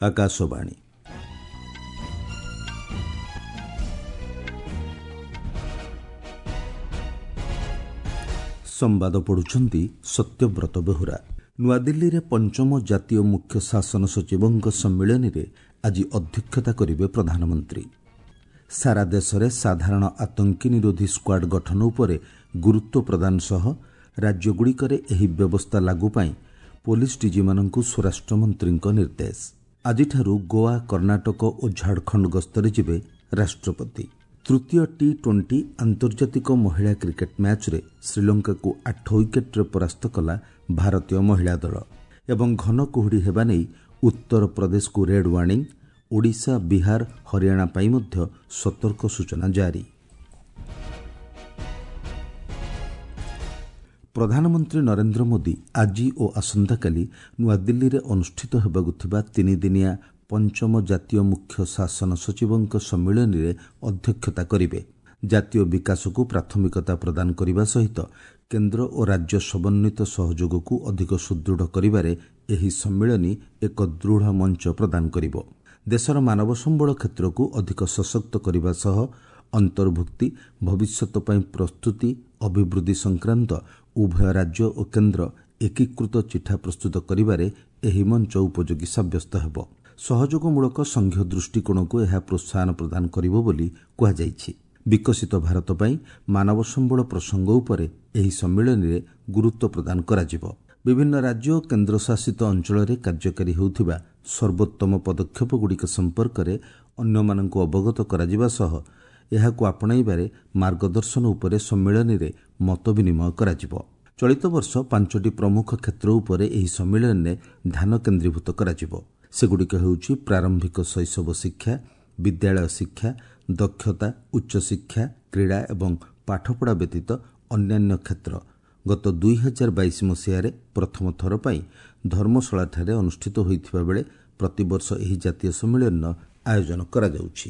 ଆକାଶବାଣୀ। ସମ୍ବାଦ ପଢୁଛନ୍ତି ସତ୍ୟବ୍ରତ ବେହୁରା। ନୂଆଦିଲ୍ଲୀରେ ପଞ୍ଚମ ଜାତୀୟ ମୁଖ୍ୟ ଶାସନ ସଚିବଙ୍କ ସମ୍ମିଳନୀରେ ଆଜି ଅଧ୍ୟକ୍ଷତା କରିବେ ପ୍ରଧାନମନ୍ତ୍ରୀ। ସାରା ଦେଶରେ ସାଧାରଣ ଆତଙ୍କୀ ନିରୋଧୀ ସ୍କ୍ୱାଡ୍ ଗଠନ ଉପରେ ଗୁରୁତ୍ୱ ପ୍ରଦାନ ସହ ରାଜ୍ୟଗୁଡ଼ିକରେ ଏହି ବ୍ୟବସ୍ଥା ଲାଗୁ ପାଇଁ ପୋଲିସ ଡିଜିମାନଙ୍କୁ ସ୍ୱରାଷ୍ଟ୍ରମନ୍ତ୍ରୀଙ୍କ ନିର୍ଦ୍ଦେଶ। ଆଜିଠାରୁ ଗୋଆ, କର୍ଣ୍ଣାଟକ ଓ ଝାଡ଼ଖଣ୍ଡ ଗସ୍ତରେ ଯିବେ ରାଷ୍ଟ୍ରପତି। ତୃତୀୟ ଟି 20 ଆନ୍ତର୍ଜାତିକ ମହିଳା କ୍ରିକେଟ୍ ମ୍ୟାଚ୍ରେ ଶ୍ରୀଲଙ୍କାକୁ 8 ୱିକେଟ୍ରେ ପରାସ୍ତ କଲା ଭାରତୀୟ ମହିଳା ଦଳ। ଏବଂ ଘନ କୁହୁଡ଼ି ହେବା ନେଇ ଉତ୍ତରପ୍ରଦେଶକୁ ରେଡ୍ ୱାର୍ଣ୍ଣିଂ, ଓଡ଼ିଶା, ବିହାର, ହରିୟାଣା ପାଇଁ ମଧ୍ୟ ସତର୍କ ସୂଚନା ଜାରି। ପ୍ରଧାନମନ୍ତ୍ରୀ ନରେନ୍ଦ୍ର ମୋଦି ଆଜି ଓ ଆସନ୍ତାକାଲି ନୂଆଦିଲ୍ଲୀରେ ଅନୁଷ୍ଠିତ ହେବାକୁ ଥିବା ତିନିଦିନିଆ ପଞ୍ଚମ ଜାତୀୟ ମୁଖ୍ୟ ଶାସନ ସଚିବଙ୍କ ସମ୍ମିଳନୀରେ ଅଧ୍ୟକ୍ଷତା କରିବେ। ଜାତୀୟ ବିକାଶକୁ ପ୍ରାଥମିକତା ପ୍ରଦାନ କରିବା ସହିତ କେନ୍ଦ୍ର ଓ ରାଜ୍ୟ ସମନ୍ୱିତ ସହଯୋଗକୁ ଅଧିକ ସୁଦୃଢ଼ କରିବାରେ ଏହି ସମ୍ମିଳନୀ ଏକ ଦୃଢ଼ ମଞ୍ଚ ପ୍ରଦାନ କରିବ। ଦେଶର ମାନବ ସମ୍ବଳ କ୍ଷେତ୍ରକୁ ଅଧିକ ସଶକ୍ତ କରିବା ସହ ଅନ୍ତର୍ଭୁକ୍ତି, ଭବିଷ୍ୟତ ପାଇଁ ପ୍ରସ୍ତୁତି, ଅଭିବୃଦ୍ଧି ସଂକ୍ରାନ୍ତ ଉଭୟ ରାଜ୍ୟ ଓ କେନ୍ଦ୍ର ଏକୀକୃତ ଚିଠା ପ୍ରସ୍ତୁତ କରିବାରେ ଏହି ମଞ୍ଚ ଉପଯୋଗୀ ସାବ୍ୟସ୍ତ ହେବ। ସହଯୋଗମୂଳକ ସଂଘୀୟ ଦୃଷ୍ଟିକୋଣକୁ ଏହା ପ୍ରୋତ୍ସାହନ ପ୍ରଦାନ କରିବ ବୋଲି କୁହାଯାଇଛି। ବିକଶିତ ଭାରତ ପାଇଁ ମାନବ ସମ୍ବଳ ପ୍ରସଙ୍ଗ ଉପରେ ଏହି ସମ୍ମିଳନୀରେ ଗୁରୁତ୍ୱ ପ୍ରଦାନ କରାଯିବ। ବିଭିନ୍ନ ରାଜ୍ୟ ଓ କେନ୍ଦ୍ରଶାସିତ ଅଞ୍ଚଳରେ କାର୍ଯ୍ୟକାରୀ ହେଉଥିବା ସର୍ବୋତ୍ତମ ପଦକ୍ଷେପଗୁଡ଼ିକ ସମ୍ପର୍କରେ ଅନ୍ୟମାନଙ୍କୁ ଅବଗତ କରାଯିବା ସହ ଏହାକୁ ଆପଣାଇବାରେ ମାର୍ଗଦର୍ଶନ ଉପରେ ସମ୍ମିଳନୀରେ ମତ ବିନିମୟ କରାଯିବ। ଚଳିତ ବର୍ଷ 5ଟି ପ୍ରମୁଖ କ୍ଷେତ୍ର ଉପରେ ଏହି ସମ୍ମିଳନୀରେ ଧ୍ୟାନ କେନ୍ଦ୍ରୀଭୂତ କରାଯିବ। ସେଗୁଡ଼ିକ ହେଉଛି ପ୍ରାରମ୍ଭିକ ଶୈଶବ ଶିକ୍ଷା, ବିଦ୍ୟାଳୟ ଶିକ୍ଷା, ଦକ୍ଷତା, ଉଚ୍ଚଶିକ୍ଷା, କ୍ରୀଡ଼ା ଏବଂ ପାଠପଢ଼ା ବ୍ୟତୀତ ଅନ୍ୟାନ୍ୟ କ୍ଷେତ୍ର। ଗତ 2022 ମସିହାରେ ପ୍ରଥମ ଥର ପାଇଁ ଧର୍ମଶାଳାଠାରେ ଅନୁଷ୍ଠିତ ହୋଇଥିବା ବେଳେ ପ୍ରତିବର୍ଷ ଏହି ଜାତୀୟ ସମ୍ମିଳନୀର ଆୟୋଜନ କରାଯାଉଛି।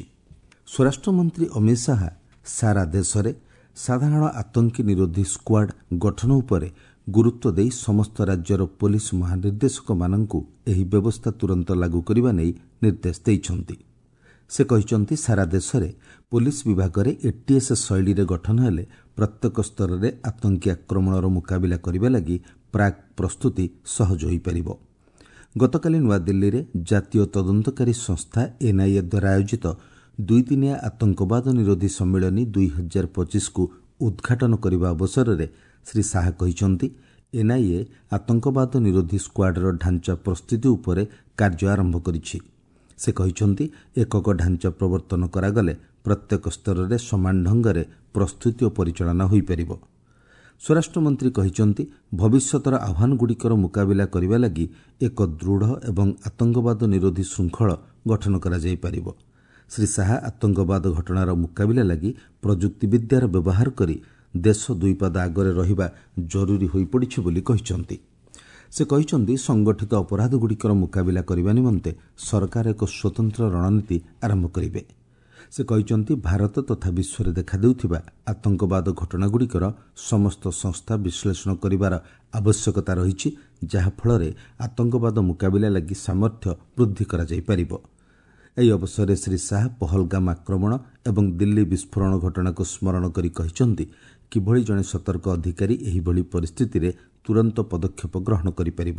ସ୍ୱରାଷ୍ଟ୍ରମନ୍ତ୍ରୀ ଅମିତ ଶାହା ସାରା ଦେଶରେ ସାଧାରଣ ଆତଙ୍କୀ ନିରୋଧୀ ସ୍କ୍ୱାଡ୍ ଗଠନ ଉପରେ ଗୁରୁତ୍ୱ ଦେଇ ସମସ୍ତ ରାଜ୍ୟର ପୋଲିସ ମହାନିର୍ଦ୍ଦେଶକମାନଙ୍କୁ ଏହି ବ୍ୟବସ୍ଥା ତୁରନ୍ତ ଲାଗୁ କରିବା ନେଇ ନିର୍ଦ୍ଦେଶ ଦେଇଛନ୍ତି। ସେ କହିଛନ୍ତି, ସାରା ଦେଶରେ ପୋଲିସ ବିଭାଗରେ ଏଟିଏସ୍ ଶୈଳୀରେ ଗଠନ ହେଲେ ପ୍ରତ୍ୟେକ ସ୍ତରରେ ଆତଙ୍କୀ ଆକ୍ରମଣର ମୁକାବିଲା କରିବା ଲାଗି ପ୍ରାକ୍ ପ୍ରସ୍ତୁତି ସହଜ ହୋଇପାରିବ। ଗତକାଲି ନୂଆଦିଲ୍ଲୀରେ ଜାତୀୟ ତଦନ୍ତକାରୀ ସଂସ୍ଥା ଏନ୍ଆଇଏ ଦ୍ୱାରା ଆୟୋଜିତ ଦୁଇଦିନିଆ ଆତଙ୍କବାଦ ନିରୋଧୀ ସମ୍ମିଳନୀ 2025କୁ ଉଦ୍ଘାଟନ କରିବା ଅବସରରେ ଶ୍ରୀ ଶାହା କହିଛନ୍ତି, ଏନ୍ଆଇଏ ଆତଙ୍କବାଦ ନିରୋଧୀ ସ୍କ୍ୱାଡ୍ର ଢାଞ୍ଚା ପ୍ରସ୍ତୁତି ଉପରେ କାର୍ଯ୍ୟ ଆରମ୍ଭ କରିଛି। ସେ କହିଛନ୍ତି, ଏକକ ଢାଞ୍ଚା ପ୍ରବର୍ତ୍ତନ କରାଗଲେ ପ୍ରତ୍ୟେକ ସ୍ତରରେ ସମାନ ଢଙ୍ଗରେ ପ୍ରସ୍ତୁତି ଓ ପରିଚାଳନା ହୋଇପାରିବ। ସ୍ୱରାଷ୍ଟ୍ରମନ୍ତ୍ରୀ କହିଛନ୍ତି, ଭବିଷ୍ୟତର ଆହ୍ୱାନଗୁଡ଼ିକର ମୁକାବିଲା କରିବା ଲାଗି ଏକ ଦୃଢ଼ ଏବଂ ଆତଙ୍କବାଦ ନିରୋଧୀ ଶୃଙ୍ଖଳ ଗଠନ କରାଯାଇପାରିବ। ଶ୍ରୀ ଶାହା ଆତଙ୍କବାଦ ଘଟଣାର ମୁକାବିଲା ଲାଗି ପ୍ରଯୁକ୍ତିବିଦ୍ୟାର ବ୍ୟବହାର କରି ଦେଶ ଦୁଇ ପାଦ ଆଗରେ ରହିବା ଜରୁରୀ ହୋଇପଡ଼ିଛି ବୋଲି କହିଛନ୍ତି। ସେ କହିଛନ୍ତି, ସଂଗଠିତ ଅପରାଧଗୁଡ଼ିକର ମୁକାବିଲା କରିବା ନିମନ୍ତେ ସରକାର ଏକ ସ୍ୱତନ୍ତ୍ର ରଣନୀତି ଆରମ୍ଭ କରିବେ। ସେ କହିଛନ୍ତି, ଭାରତ ତଥା ବିଶ୍ୱରେ ଦେଖାଦେଉଥିବା ଆତଙ୍କବାଦ ଘଟଣାଗୁଡ଼ିକର ସମସ୍ତ ସଂସ୍ଥା ବିଶ୍ଳେଷଣ କରିବାର ଆବଶ୍ୟକତା ରହିଛି, ଯାହାଫଳରେ ଆତଙ୍କବାଦ ମୁକାବିଲା ଲାଗି ସାମର୍ଥ୍ୟ ବୃଦ୍ଧି କରାଯାଇପାରିବ। ଏହି ଅବସରରେ ଶ୍ରୀ ଶାହା ପହଲଗାମ ଆକ୍ରମଣ ଏବଂ ଦିଲ୍ଲୀ ବିସ୍ଫୋରଣ ଘଟଣାକୁ ସ୍ମରଣ କରି କହିଛନ୍ତି, କିଭଳି ଜଣେ ସତର୍କ ଅଧିକାରୀ ଏହିଭଳି ପରିସ୍ଥିତିରେ ତୁରନ୍ତ ପଦକ୍ଷେପ ଗ୍ରହଣ କରିପାରିବ।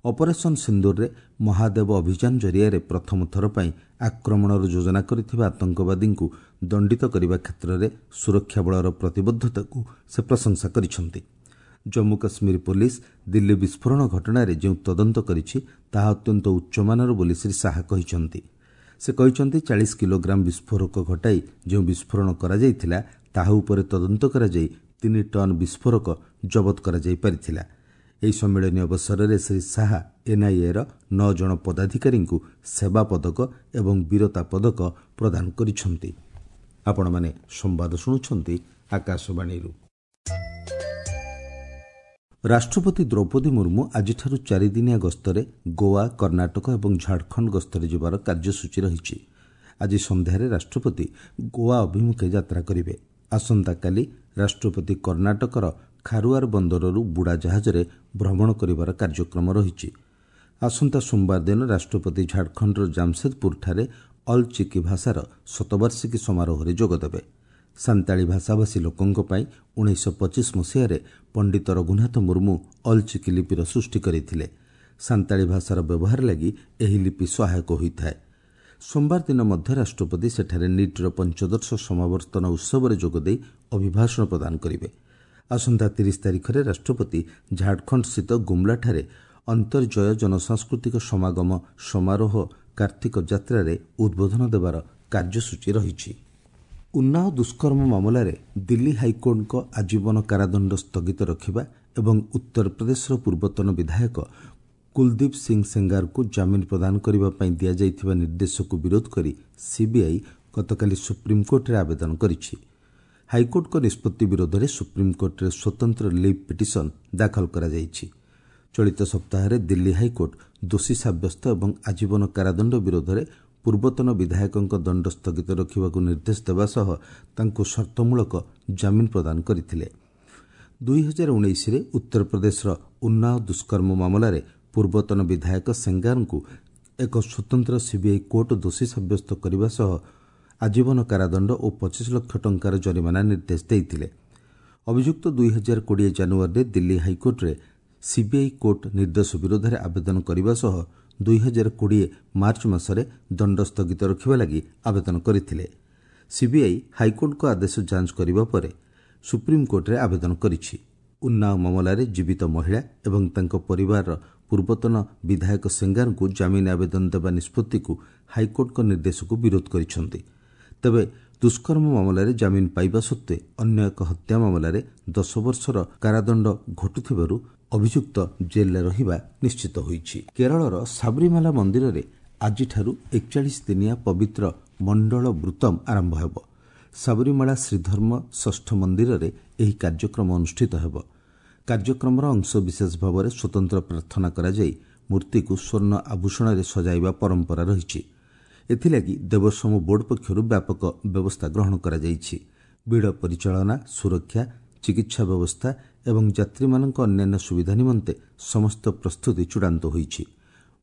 ଅପରେସନ୍ ସିନ୍ଦୁରରେ ମହାଦେବ ଅଭିଯାନ ଜରିଆରେ ପ୍ରଥମ ଥର ପାଇଁ ଆକ୍ରମଣର ଯୋଜନା କରିଥିବା ଆତଙ୍କବାଦୀଙ୍କୁ ଦଣ୍ଡିତ କରିବା କ୍ଷେତ୍ରରେ ସୁରକ୍ଷା ବଳର ପ୍ରତିବଦ୍ଧତାକୁ ସେ ପ୍ରଶଂସା କରିଛନ୍ତି। ଜମ୍ମୁ କାଶ୍ମୀର ପୋଲିସ ଦିଲ୍ଲୀ ବିସ୍ଫୋରଣ ଘଟଣାରେ ଯେଉଁ ତଦନ୍ତ କରିଛି ତାହା ଅତ୍ୟନ୍ତ ଉଚ୍ଚମାନର ବୋଲି ଶ୍ରୀ ଶାହା କହିଛନ୍ତି। ସେ କହିଛନ୍ତି, 40 କିଲୋଗ୍ରାମ ବିସ୍ଫୋରକ ଘଟାଇ ଯେଉଁ ବିସ୍ଫୋରଣ କରାଯାଇଥିଲା ତାହା ଉପରେ ତଦନ୍ତ କରାଯାଇ 3 ଟନ୍ ବିସ୍ଫୋରକ ଜବତ କରାଯାଇପାରିଥିଲା। ଏହି ସମ୍ମିଳନୀ ଅବସରରେ ଶ୍ରୀ ଶାହା ଏନ୍ଆଇଏର 9 ଜଣ ପଦାଧିକାରୀଙ୍କୁ ସେବା ପଦକ ଏବଂ ବୀରତା ପଦକ ପ୍ରଦାନ କରିଛନ୍ତି। ଆପଣମାନେ ସମ୍ବାଦ ଶୁଣୁଛନ୍ତି ଆକାଶବାଣୀରୁ। ରାଷ୍ଟ୍ରପତି ଦ୍ରୌପଦୀ ମୁର୍ମୁ ଆଜିଠାରୁ ଚାରିଦିନିଆ ଗସ୍ତରେ ଗୋଆ, କର୍ଣ୍ଣାଟକ ଏବଂ ଝାଡ଼ଖଣ୍ଡ ଗସ୍ତରେ ଯିବାର କାର୍ଯ୍ୟସୂଚୀ ରହିଛି। ଆଜି ସନ୍ଧ୍ୟାରେ ରାଷ୍ଟ୍ରପତି ଗୋଆ ଅଭିମୁଖେ ଯାତ୍ରା କରିବେ। ଆସନ୍ତାକାଲି ରାଷ୍ଟ୍ରପତି କର୍ଣ୍ଣାଟକର ଖାରୁଆର ବନ୍ଦରରୁ ବୁଡ଼ାଜାହାଜରେ ଭ୍ରମଣ କରିବାର କାର୍ଯ୍ୟକ୍ରମ ରହିଛି। ଆସନ୍ତା ସୋମବାର ଦିନ ରାଷ୍ଟ୍ରପତି ଝାଡ଼ଖଣ୍ଡର ଜାମସେଦପୁରଠାରେ ଅଲ୍ ଚିକି ଭାଷାର ଶତବାର୍ଷିକୀ ସମାରୋହରେ ଯୋଗଦେବେ। ସାନ୍ତାଳୀ ଭାଷାଭାଷୀ ଲୋକଙ୍କ ପାଇଁ 1925 ମସିହାରେ ପଣ୍ଡିତ ରଘୁନାଥ ମୁର୍ମୁ ଅଲ୍ ଚିକି ଲିପିର ସୃଷ୍ଟି କରିଥିଲେ। ସାନ୍ତାଳୀ ଭାଷାର ବ୍ୟବହାର ଲାଗି ଏହି ଲିପି ସହାୟକ ହୋଇଥାଏ। ସୋମବାର ଦିନ ମଧ୍ୟ ରାଷ୍ଟ୍ରପତି ସେଠାରେ ନିଟ୍ର ପଞ୍ଚଦଶ ସମାବର୍ତ୍ତନ ଉତ୍ସବରେ ଯୋଗଦେଇ ଅଭିଭାଷଣ ପ୍ରଦାନ କରିବେ। ଆସନ୍ତା 30 ତାରିଖରେ ରାଷ୍ଟ୍ରପତି ଝାଡ଼ଖଣ୍ଡସ୍ଥିତ ଗୁମ୍ଲାଠାରେ ଅନ୍ତର୍ଜୟ ଜନସାଂସ୍କୃତିକ ସମାଗମ ସମାରୋହ କାର୍ତ୍ତିକ ଯାତ୍ରାରେ ଉଦ୍ବୋଧନ ଦେବାର କାର୍ଯ୍ୟସୂଚୀ ରହିଛି। ଉନ୍ନାଓ ଦୁଷ୍କର୍ମ ମାମଲାରେ ଦିଲ୍ଲୀ ହାଇକୋର୍ଟଙ୍କ ଆଜୀବନ କାରାଦଣ୍ଡ ସ୍ଥଗିତ ରଖିବା ଏବଂ ଉତ୍ତରପ୍ରଦେଶର ପୂର୍ବତନ ବିଧାୟକ କୁଲଦୀପ ସିଂ ସେଙ୍ଗାରଙ୍କୁ ଜାମିନ ପ୍ରଦାନ କରିବା ପାଇଁ ଦିଆଯାଇଥିବା ନିର୍ଦ୍ଦେଶକୁ ବିରୋଧ କରି ସିବିଆଇ ଗତକାଲି ସୁପ୍ରିମକୋର୍ଟରେ ଆବେଦନ କରିଛି। ହାଇକୋର୍ଟଙ୍କ ନିଷ୍ପତ୍ତି ବିରୋଧରେ ସୁପ୍ରିମକୋର୍ଟରେ ସ୍ୱତନ୍ତ୍ର ଲିଭ୍ ପିଟିସନ ଦାଖଲ କରାଯାଇଛି। ଚଳିତ ସପ୍ତାହରେ ଦିଲ୍ଲୀ ହାଇକୋର୍ଟ ଦୋଷୀ ସାବ୍ୟସ୍ତ ଏବଂ ଆଜୀବନ କାରାଦଣ୍ଡ ବିରୋଧରେ ପୂର୍ବତନ ବିଧାୟକଙ୍କ ଦଣ୍ଡ ସ୍ଥଗିତ ରଖିବାକୁ ନିର୍ଦ୍ଦେଶ ଦେବା ସହ ତାଙ୍କୁ ସର୍ତ୍ତମୂଳକ ଜାମିନ ପ୍ରଦାନ କରିଥିଲେ। 2019ରେ ଉତ୍ତରପ୍ରଦେଶର ଉନ୍ନାଓ ଦୁଷ୍କର୍ମ ମାମଲାରେ ପୂର୍ବତନ ବିଧାୟକ ସେଙ୍ଗାରଙ୍କୁ ଏକ ସ୍ୱତନ୍ତ୍ର ସିବିଆଇ କୋର୍ଟ ଦୋଷୀ ସାବ୍ୟସ୍ତ କରିବା ସହ ଆଜୀବନ କାରାଦଣ୍ଡ ଓ 25 ଲକ୍ଷ ଟଙ୍କାର ଜରିମାନା ନିର୍ଦ୍ଦେଶ ଦେଇଥିଲେ। ଅଭିଯୁକ୍ତ 2020 ଜାନୁଆରୀରେ ଦିଲ୍ଲୀ ହାଇକୋର୍ଟରେ ସିବିଆଇ କୋର୍ଟ ନିର୍ଦ୍ଦେଶ ବିରୋଧରେ ଆବେଦନ କରିବା ସହ 2020 ମାର୍ଚ୍ଚ ମାସରେ ଦଣ୍ଡ ସ୍ଥଗିତ ରଖିବା ଲାଗି ଆବେଦନ କରିଥିଲେ। ସିବିଆଇ ହାଇକୋର୍ଟଙ୍କ ଆଦେଶ ଯାଞ୍ଚ କରିବା ପରେ ସୁପ୍ରିମକୋର୍ଟରେ ଆବେଦନ କରିଛି। ଉନ୍ନାଓ ମାମଲାରେ ଜୀବିତ ମହିଳା ଏବଂ ତାଙ୍କ ପରିବାରର ପୂର୍ବତନ ବିଧାୟକ ସେଙ୍ଗାରଙ୍କୁ ଜାମିନ ଆବେଦନ ଦେବା ନିଷ୍ପତ୍ତିକୁ ହାଇକୋର୍ଟଙ୍କ ନିର୍ଦ୍ଦେଶକୁ ବିରୋଧ କରିଛନ୍ତି। ତେବେ ଦୁଷ୍କର୍ମ ମାମଲାରେ ଜାମିନ ପାଇବା ସତ୍ତ୍ୱେ ଅନ୍ୟ ଏକ ହତ୍ୟା ମାମଲାରେ 10 ବର୍ଷର କାରାଦଣ୍ଡ ଘଟୁଥିବାରୁ ଅଭିଯୁକ୍ତ ଜେଲ୍ରେ ରହିବା ନିଶ୍ଚିତ ହୋଇଛି। କେରଳର ସାବରିମାଲା ମନ୍ଦିରରେ ଆଜିଠାରୁ 41 ଦିନିଆ ପବିତ୍ର ମଣ୍ଡଳ ବୃତ୍ତମ ଆରମ୍ଭ ହେବ। ସାବରିମାଳା ଶ୍ରୀଧର୍ମ ଷଷ୍ଠ ମନ୍ଦିରରେ ଏହି କାର୍ଯ୍ୟକ୍ରମ ଅନୁଷ୍ଠିତ ହେବ। କାର୍ଯ୍ୟକ୍ରମର ଅଂଶବିଶେଷ ଭାବରେ ସ୍ୱତନ୍ତ୍ର ପ୍ରାର୍ଥନା କରାଯାଇ ମୂର୍ତ୍ତିକୁ ସ୍ୱର୍ଣ୍ଣ ଆଭୂଷଣରେ ସଜାଇବା ପରମ୍ପରା ରହିଛି। ଏଥିଲାଗି ଦେବସ୍ୱମ ବୋର୍ଡ ପକ୍ଷରୁ ବ୍ୟାପକ ବ୍ୟବସ୍ଥା ଗ୍ରହଣ କରାଯାଇଛି। ଭିଡ଼ ପରିଚାଳନା, ସୁରକ୍ଷା, ଚିକିତ୍ସା ବ୍ୟବସ୍ଥା ଏବଂ ଯାତ୍ରୀମାନଙ୍କ ଅନ୍ୟାନ୍ୟ ସୁବିଧା ନିମନ୍ତେ ସମସ୍ତ ପ୍ରସ୍ତୁତି ଚୂଡ଼ାନ୍ତ ହୋଇଛି।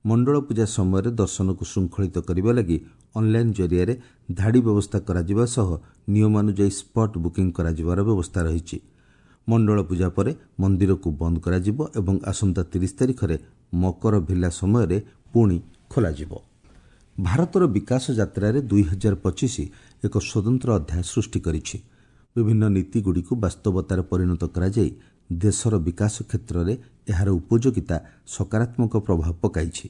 ମଣ୍ଡଳ ପୂଜା ସମୟରେ ଦର୍ଶନକୁ ଶୃଙ୍ଖଳିତ କରିବା ଲାଗି ଅନ୍ଲାଇନ୍ ଜରିଆରେ ଧାଡ଼ି ବ୍ୟବସ୍ଥା କରାଯିବା ସହ ନିୟମାନୁଯାୟୀ ସ୍ପଟ୍ ବୁକିଂ କରାଯିବାର ବ୍ୟବସ୍ଥା ରହିଛି। ମଣ୍ଡଳ ପୂଜା ପରେ ମନ୍ଦିରକୁ ବନ୍ଦ କରାଯିବ ଏବଂ ଆସନ୍ତା 30 ତାରିଖରେ ମକର ଭିଲା ସମୟରେ ପୁଣି ଖୋଲାଯିବ। ଭାରତର ବିକାଶ ଯାତ୍ରାରେ 2025 ଏକ ସ୍ୱତନ୍ତ୍ର ଅଧ୍ୟାୟ ସୃଷ୍ଟି କରିଛି। ବିଭିନ୍ନ ନୀତିଗୁଡ଼ିକୁ ବାସ୍ତବତାରେ ପରିଣତ କରାଯାଇ ଦେଶର ବିକାଶ କ୍ଷେତ୍ରରେ ଏହାର ଉପଯୋଗିତା ସକାରାତ୍ମକ ପ୍ରଭାବ ପକାଇଛି।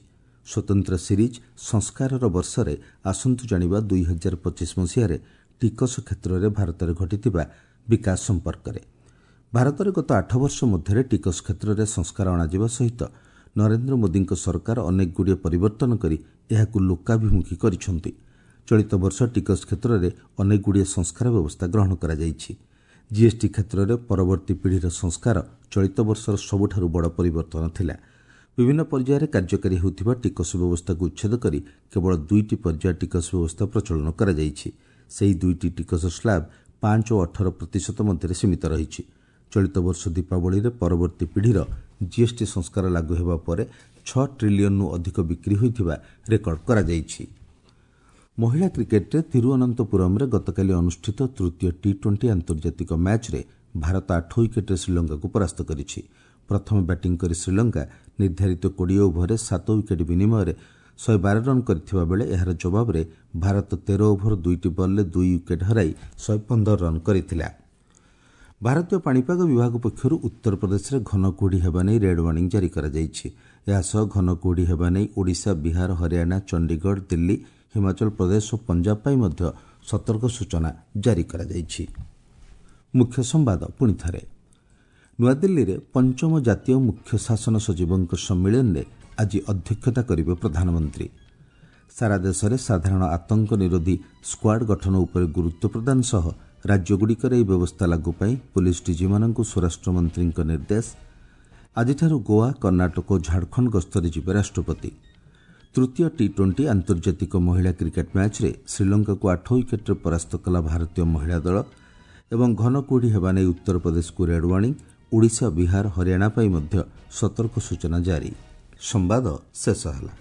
ସ୍ୱତନ୍ତ୍ର ସିରିଜ୍ ସଂସ୍କାରର ବର୍ଷରେ ଆସନ୍ତୁ ଜାଣିବା 2025 ମସିହାରେ ଟିକସ କ୍ଷେତ୍ରରେ ଭାରତରେ ଘଟିଥିବା ବିକାଶ ସମ୍ପର୍କରେ। ଭାରତରେ ଗତ 8 ବର୍ଷ ମଧ୍ୟରେ ଟିକସ କ୍ଷେତ୍ରରେ ସଂସ୍କାର ଅଣାଯିବା ସହିତ ନରେନ୍ଦ୍ର ମୋଦିଙ୍କ ସରକାର ଅନେକଗୁଡ଼ିଏ ପରିବର୍ତ୍ତନ କରି ଏହାକୁ ଲୋକାଭିମୁଖୀ କରିଛନ୍ତି। ଚଳିତ ବର୍ଷ ଟିକସ କ୍ଷେତ୍ରରେ ଅନେକଗୁଡ଼ିଏ ସଂସ୍କାର ବ୍ୟବସ୍ଥା ଗ୍ରହଣ କରାଯାଇଛି। ଜିଏସ୍ଟି କ୍ଷେତ୍ରରେ ପରବର୍ତ୍ତୀ ପିଢ଼ିର ସଂସ୍କାର ଚଳିତ ବର୍ଷର ସବୁଠାରୁ ବଡ଼ ପରିବର୍ତ୍ତନ ଥିଲା। ବିଭିନ୍ନ ପର୍ଯ୍ୟାୟରେ କାର୍ଯ୍ୟକାରୀ ହେଉଥିବା ଟିକସ ବ୍ୟବସ୍ଥାକୁ ଉଚ୍ଛେଦ କରି କେବଳ 2ଟି ପର୍ଯ୍ୟାୟ ଟିକସ ବ୍ୟବସ୍ଥା ପ୍ରଚଳନ କରାଯାଇଛି। ସେହି 2ଟି ଟିକସ ସ୍ଲାବ୍ 5 ଓ 18% ମଧ୍ୟରେ ସୀମିତ ରହିଛି। ଚଳିତ ବର୍ଷ ଦୀପାବଳିରେ ପରବର୍ତ୍ତୀ ପିଢ଼ିର ଜିଏସ୍ଟି ସଂସ୍କାର ଲାଗୁ ହେବା ପରେ 6 ଟ୍ରିଲିୟନରୁ ଅଧିକ ବିକ୍ରି ହୋଇଥିବା ରେକର୍ଡ କରାଯାଇଛି। ମହିଳା କ୍ରିକେଟ୍ରେ ତିରୁଅନନ୍ତପୁରମ୍ରେ ଗତକାଲି ଅନୁଷ୍ଠିତ ତୃତୀୟ ଟି-20 ଆନ୍ତର୍ଜାତିକ ମ୍ୟାଚ୍ରେ ଭାରତ 8 ୱିକେଟ୍ରେ ଶ୍ରୀଲଙ୍କାକୁ ପରାସ୍ତ କରିଛି। ପ୍ରଥମେ ବ୍ୟାଟିଂ କରି ଶ୍ରୀଲଙ୍କା ନିର୍ଦ୍ଧାରିତ 20 ଓଭରରେ 7 ୱିକେଟ୍ ବିନିମୟରେ 112 ରନ୍ କରିଥିବା ବେଳେ ଏହାର ଜବାବରେ ଭାରତ 13 ଓଭର 2ଟି ବଲ୍ରେ 2 ୱିକେଟ୍ ହରାଇ 115 ରନ୍ କରିଥିଲା। ଭାରତୀୟ ପାଣିପାଗ ବିଭାଗ ପକ୍ଷରୁ ଉତ୍ତରପ୍ରଦେଶରେ ଘନ କୁହୁଡ଼ି ହେବା ନେଇ ରେଡ୍ ୱାର୍ଣ୍ଣିଂ ଜାରି କରାଯାଇଛି। ଏହାସହ ଘନ କୁହୁଡ଼ି ହେବା ନେଇ ଓଡ଼ିଶା, ବିହାର, ହରିୟାଣା, ଚଣ୍ଡିଗଡ଼, ଦିଲ୍ଲୀ, ହିମାଚଳ ପ୍ରଦେଶ ଓ ପଞ୍ଜାବ ପାଇଁ ମଧ୍ୟ ସତର୍କ ସୂଚନା ଜାରି କରାଯାଇଛି। ମୁଖ୍ୟ ସମ୍ବାଦ ପୁଣି ଥରେ। ନୂଆଦିଲ୍ଲୀରେ ପଞ୍ଚମ ଜାତୀୟ ମୁଖ୍ୟ ଶାସନ ସଚିବଙ୍କ ସମ୍ମିଳନୀରେ ଆଜି ଅଧ୍ୟକ୍ଷତା କରିବେ ପ୍ରଧାନମନ୍ତ୍ରୀ। ସାରା ଦେଶରେ ସାଧାରଣ ଆତଙ୍କ ନିରୋଧୀ ସ୍କ୍ୱାଡ୍ ଗଠନ ଉପରେ ଗୁରୁତ୍ୱ ପ୍ରଦାନ ସହ ରାଜ୍ୟଗୁଡ଼ିକରେ ଏହି ବ୍ୟବସ୍ଥା ଲାଗୁ ପାଇଁ ପୁଲିସ୍ ଡିଜିମାନଙ୍କୁ ସ୍ୱରାଷ୍ଟ୍ରମନ୍ତ୍ରୀଙ୍କ ନିର୍ଦ୍ଦେଶ। ଆଜିଠାରୁ ଗୋଆ, କର୍ଣ୍ଣାଟକ ଓ ଝାଡ଼ଖଣ୍ଡ ଗସ୍ତରେ ଯିବେ ରାଷ୍ଟ୍ରପତି। ତୃତୀୟ ଟି-20 ଆନ୍ତର୍ଜାତିକ ମହିଳା କ୍ରିକେଟ୍ ମ୍ୟାଚ୍ରେ ଶ୍ରୀଲଙ୍କାକୁ 8 ୱିକେଟ୍ରେ ପରାସ୍ତ କଲା ଭାରତୀୟ ମହିଳା ଦଳ। ଏବଂ ଘନ କୁହୁଡ଼ି ହେବା ନେଇ ଉତ୍ତରପ୍ରଦେଶକୁ ରେଡ୍ ୱାର୍ଣ୍ଣିଂ। ଓଡ଼ିଶା, ବିହାର, ହରିୟାଣା ପାଇଁ ମଧ୍ୟ ସତର୍କ ସୂଚନା ଜାରି। ସମ୍ବାଦ ଶେଷ ହେଲା।